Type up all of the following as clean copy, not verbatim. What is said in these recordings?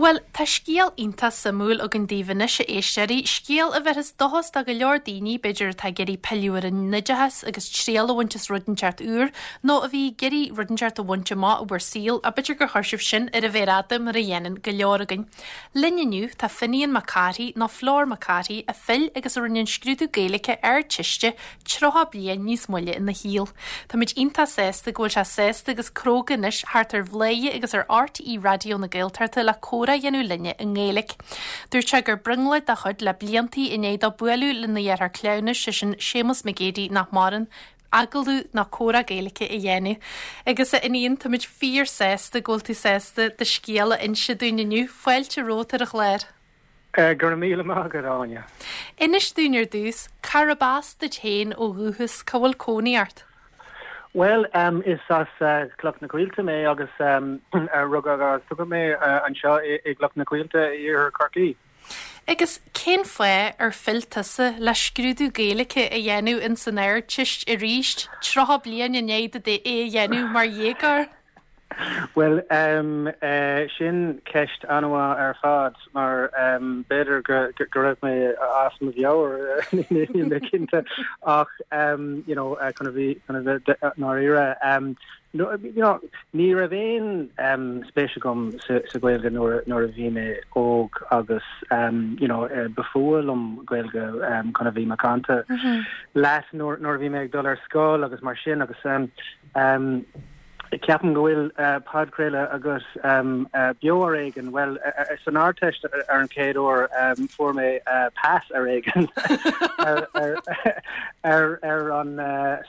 Bhuel, tá scéal iontach suimiúil againn daoibh anois, a éisteoirí, scéal a bhéarfas dóchas do go leor daoine, b'fhéidir, atá ag iarraidh pilleadh ar an oideachas agus triail a bhaint as rud inteacht úr, nó a bhí ag iarraidh rud inteacht a bhaint amach i bhur saol, ach b'fhéidir gur chuir sibh sin ar an mhéar fhada mar a dhéanann go leor againn. Linn inniu tá Finian Mac Cárthaigh, nó Flor Mac Cárthaigh, a phill agus a rinne an scrúdú Gaeilge Ardteiste 30 bliain níos moille ina shaol. Táimid iontach sásta go bhfuil sé sásta agus cróga anois theacht ar Bhladhaire agus ar RTÉ Raidió na Gaeltachta le comhrá a dhéanamh linne i nGaeilge. Dúirt sé gur brionglóid dá chuid le bliantaí i ndiaidh dó bualadh lena dheartháir cleamhnais, sé sin Séamus Mac Géidigh nach maireann, agallamh nó comhrá Gaeilge a dhéanamh. Agus a Fhinian, táimid fíor sásta go bhfuil tú sásta do scéal a inse dúinn inniu. Fáilte romhat ar an chlár. Go raibh míle maith agat, Áine. Inis dúinn ar dtús, cárb as duit féin ó dhúchas, cá bhfuil cónaí ort? Bhuel, is as Cloch na Coillte mé agus rugadh agus tógadh mé anseo i gCloch na Coillte i iarthar Chorcaí. Agus cén fáth ar phill tusa le scrúdú Gaeilge a dhéanamh ins an Ardteist arís, 30 bliain i ndiaidh duit é a dhéanamh mar dhéagóir? Bhuel, sin ceist an-mhaith ar fad mar b'fhéidir go raibh mé as mo mheabhair, níl mé cinnte, ach you know chun a bheith chun a bheith dáiríre, you know ní raibh aon spéis agam sa Ghaeilge nuair nuair a bhí mé óg agus you know ba fuath liom Gaeilge chun a bheith macánta leat nuair nuair a bhí mé ag dul ar scoil agus mar sin agus Ceapaim go bhfuil podchraoladh agat beo ar éigean. Bhuel, san Ardteist ar an chéad uair fuair mé pass ar éigean ar ar an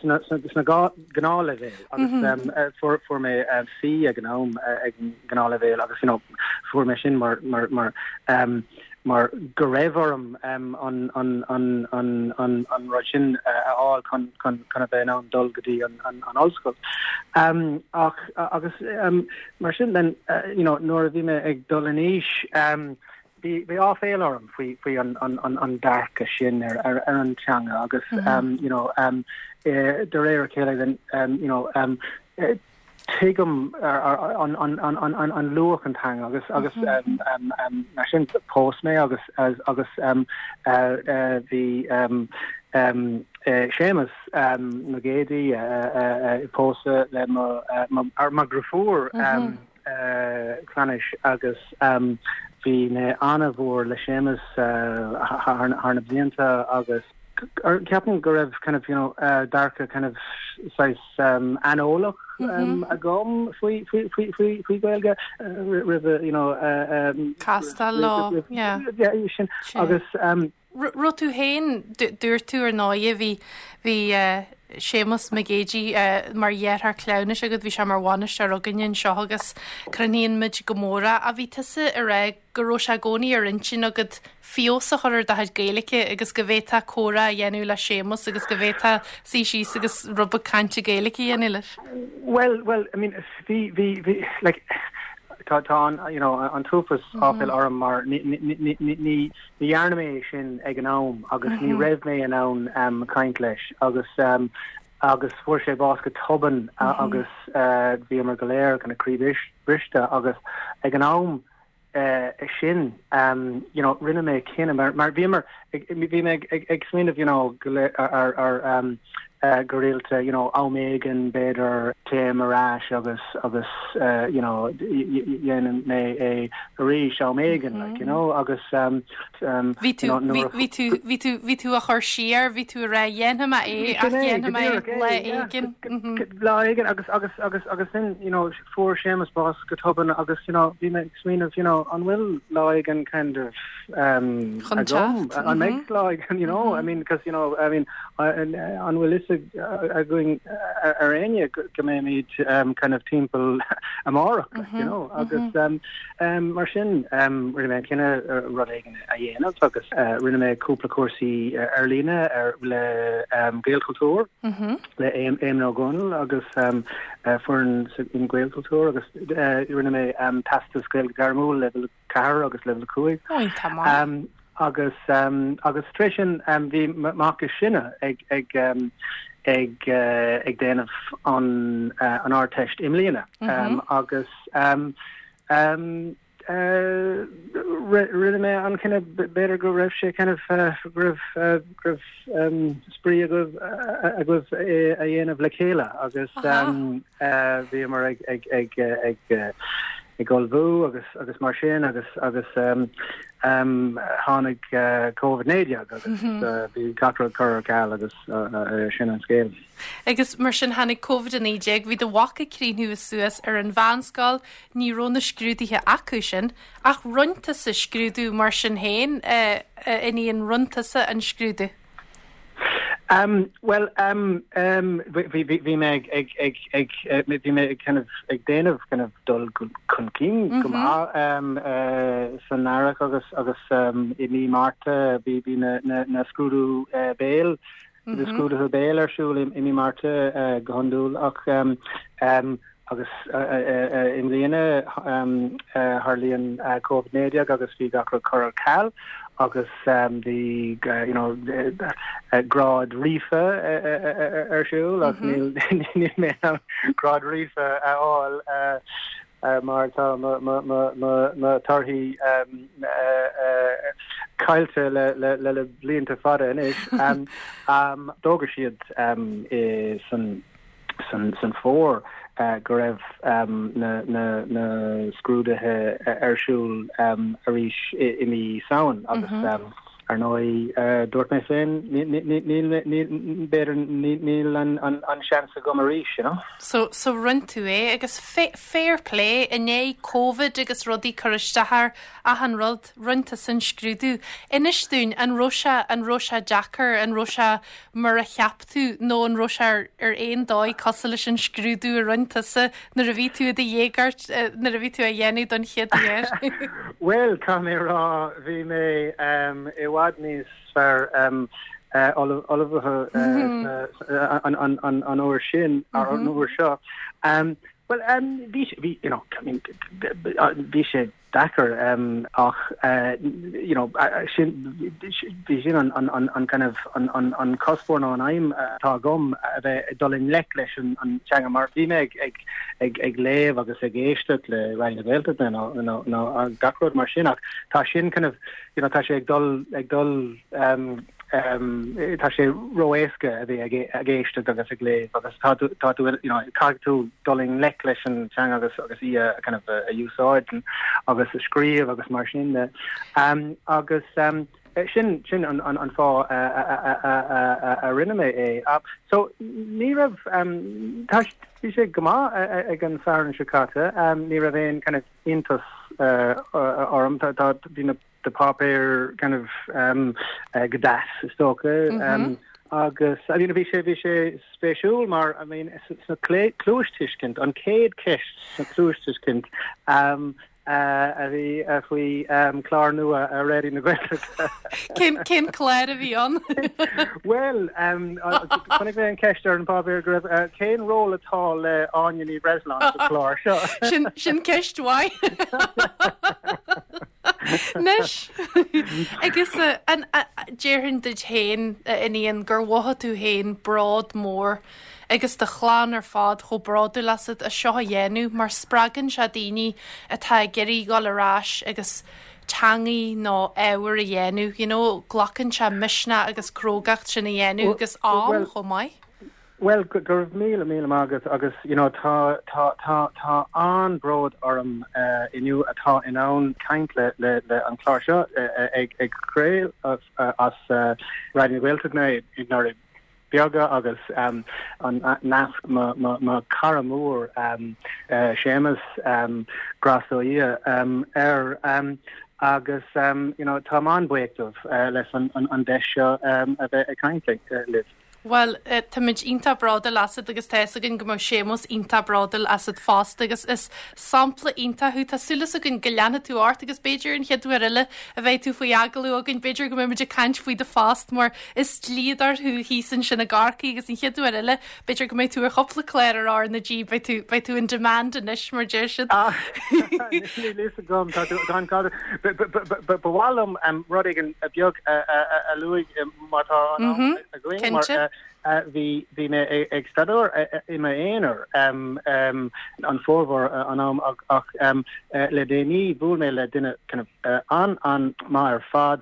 sna gnáthleibhéil agus fuair mé C ag an am ag an ngnáthleibhéal agus you know fuair mé sin mar mar mar mar go raibh orm an an rud sin a fháil chun chun chun a bheith in ann dul go dtí an an ollscoil. Ach agus mar sin then you know nuair a bhí mé ag dul in aois bhí bhí áiféala orm faoi faoi an an an an dearcadh sin ar ar ar an teanga agus you know de réir a chéile then you know tuigim an luach an teanga agus agus mar sin phós mé agus agus bhí Séamus Mac Géidigh ag pósadh le mo mo dheirfiúr cleamhnais agus bhí mé an-mhór le Séamus thar na blianta agus ceapaim go raibh kind of you know dearcadh kind of saghas aineolach agam faoi faoi faoi faoi faoi Gaeilge roimh you know Castáil leo, yeah. Yeah, sin agus Raibh tú féin, dúirt tú ar ndóigh, bhí bhí Séamus Mac Géidigh mar dheartháir cleamhnais agat, bhí sé mar bhainisteoir againne anseo agus crothnaíonn muid go mór é. Ach bhí tusa ag rá go raibh sé i gcónaí ar intinn agat feabhas a chur ar do chuid Gaeilge agus go bhféadfá comhrá a dhéanamh le Séamus agus go bhféadfá suí síos agus rud beag cainte Gaeilge a dhéanamh leis. Bhuel, bhuel, I mean, bhí, bhí, bhí, like, tá, tá an, you know, an t-uafás áiféala orm mar ní, ní, ní, ní, ní dhearna mé é sin ag an am agus ní raibh mé in ann caint leis agus agus fuair sé bás go tobann agus bhíomar go léir kind of croíbhriste agus ag an am sin you know rinne mé cinneadh mar mar bhíomar bhí mé ag ag smaoineamh you know go ar ar go rialta you know am éigin b'fhéidir téim ar ais agus agus you know dhéanfaidh mé é arís am éigin like you know agus Bhí tú bhí tú bhí tú bhí tú á chur siar bhí tú ag rá dhéanfaidh mé é ach dhéanfaidh mé é lá éigin. Lá éigin agus agus agus agus sin you know fuair Séamus bás go tobann agus you know bhí mé ag smaoineamh you know an bhfuil lá éigin kind of um, Chun agam teacht. an mbeidh lá éigin you know I mean because you know I mean an bhfuil fhios againn ar éinne go mbeimid um, kind of timpeall amárach like, you know agus um, um, mar sin um, rinne mé an cinneadh rud éigin a dhéanamh agus uh, rinne mé cúpla cúrsaí ar líne ar le um, Gaelchultúr le Éamon Ó Dónaill agus um, uh, foireann in Gaelchultúr agus uh, rinne mé um, teastas Gaeilge Gairmiúil level 4 agus level 5. Iontach maith. Agus agus tar éis sin bhí mac is sine ag ag ag ag déanamh an an Ardteist i mbliana agus. Rinne mé an cinneadh, b'fhéidir go raibh sé kind of go raibh go raibh spraoi agaibh agaibh é a dhéanamh le chéile agus bhíomar ag ag ag ag ag ullmhú agus agus mar sin agus agus tháinig Covid-19 agus bhí gach rud curtha ar ceal agus sin an scéal. Agus mar sin tháinig Covid-19, bhí do mhac ag críochnú suas ar an mheánscoil, Ní raibh na scrúduithe acu sin, ach rinne tusa scrúdú mar sin féin, a Fhinian, rinne tusa an scrúdú. Bhuel, bhí mé ag, ag, ag, ag, bhí mé ag kind of ag déanamh kind of dul chun cinn go maith san earrach agus, agus i mí Márta bhí, bhí na, na, na scrúdú béil, na scrúduithe béil ar siúl i mí Márta go hiondúil ach Agus i mbliana tharlaíonn Covid-19 agus bhí gach rud curtha ar ceal agus bhí you know grád ríofa ar siúl ach níl níl mé in ann grád ríofa a fháil mar tá mo thorthaí caillte le le le blianta fada anois. D'fhógair siad san san fómhar go raibh na scrúduithe ar siúl arís i mí Samhain agus ar ndóigh dúirt mé féin níl b'fhéidir níl an seans agam arís, you know. So so rinne tú é agus fair play i ndiaidh Covid agus rudaí cur isteach ar achan rud, rinne tusa an scrúdú. Inis dúinn an raibh sé an raibh sé deacair, an raibh sé mar a cheap tú nó an raibh sé ar aon dóigh cosúil leis an scrúdú a rinne tusa nuair a bhí tú i do dhéagóir, nuair a bhí tú á dhéanamh don chéad uair? Bhuel, caithfidh mé a rá, bhí mé i bhfad níos fearr ullmhaithe an uair sin, an uair seo. Bhuel, bhí, bhí, you know, I mean, bhí sé deacair ach you know sin bhí sin an an an kind of an an an cuspóir nó an aidhm atá agam a bheith ag dul i ngleic leis an an teanga mar bhí mé ag ag ag ag léamh agus ag éisteacht le Raidió na Gaeltachta nó nó nó gach rud mar sin ach tá sin kind of you know tá sé ag dul ag dul Tá sé ró-éasca a bheith ag éisteacht agus ag léamh agus tá tú, tá tú, you know, caithfidh tú dul i ngleic leis an teanga agus agus í a kind of a úsáid agus a scríobh agus mar sin de. Agus sin sin an an an fáth a a rinne mé é. So ní raibh tá bhí sé go maith ag an Satharn seo caite, ní raibh aon kind of iontas orm, tá tá bhí na na páipéir kind of go deas is dócha agus I mean bhí sé bhí sé spéisiúil mar I mean sna cluastuiscint an chéad cheist sna cluastuiscint a bhí faoi chlár nua ar Raidió na Gaeltachta. Cén cén clár a bhí ann? Bhuel chonaic mé an ceist ar an bpáipéar go raibh cén ról atá le Áine Ní Bhreisleáin sa chlár seo? Sin sin ceist mhaith. Anois, agus an déarfainn duit féin, a Fhinian, gur mhothaigh tú féin bród mór agus do chlann ar fad chomh bródúil asat as seo a dhéanamh mar spreagann sé daoine atá ag iarraidh dhul ar ais agus teangaí nó ábhar a dhéanamh, you know, glacann sé misneach agus crógacht sin a dhéanamh agus am chomh maith. Bhuel, go raibh míle, míle maith agat agus you know tá, tá, tá, tá an-bhród orm inniu atá in ann caint le, le, le an clár seo ag, ag craoladh as Raidió na Gaeltachta i nDoirí Beaga agus an nasc mo, mo, mo chara mór Séamus, grásta ó Dhia air agus you know táim an-bhuíoch dóibh leis an, an, an deis seo a bheith ag caint libh. Bhuel, táimid iontach bródúil asat agus tá fhios againn go mbeadh Séamus iontach bródúil asat fosta agus is sampla iontach thú. Tá súil againn go leanfaidh tú ort agus b'fhéidir an chéad uair eile a bheidh tú faoi agallamh againn, b'fhéidir go mbeimid ag caint faoi do phost mar is dlíodóir thú thíos ansin i gCorcaigh agus an chéad uair eile b'fhéidir go mbeidh tú ar chúpla clár ar R na G, beidh tú, beidh tú in demand anois mar deir siad. Níl fhios agam, tá tú, tá an Ba mhaith liom rud éigin beag a luaigh má tá an am againn mar. Cinnte. Bhí bhí mé ag staidéar i m'aonar an formhór an am ach le déanaí bhuail mé le duine kind of an-an-maith ar fad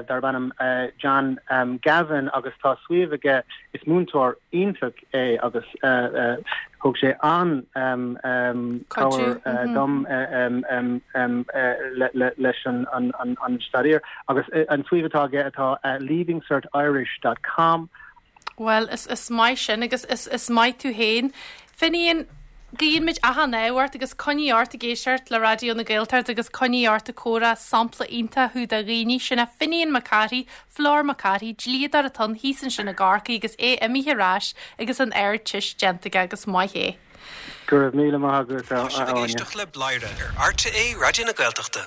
darb ainm John Gavin agus tá suíomh aige, is múinteoir iontach é agus thug sé an-chabhair dom leis an staidéar agus an suíomh atá aige atá leavingcertirish dot com. Bhuel, is maith sin agus is maith tú féin. Finian, guíonn muid achan ádh ort agus coinnigh ort ag éisteacht le Raidió na Gaeltachta agus coinnigh ort ag comhrá, sampla iontach thú do dhaoine. Sin é Finian Mac Cárthaigh, Flor Mac Cárthaigh, dlíodóir atá ann thíos ansin i gCorcaigh agus é imithe ar ais agus an Ardteist déanta aige agus maith é. Go raibh míle maith agat, a Tá sibh ag Áine. éisteacht le Bladhaire ar RTÉ Raidió na Gaeltachta.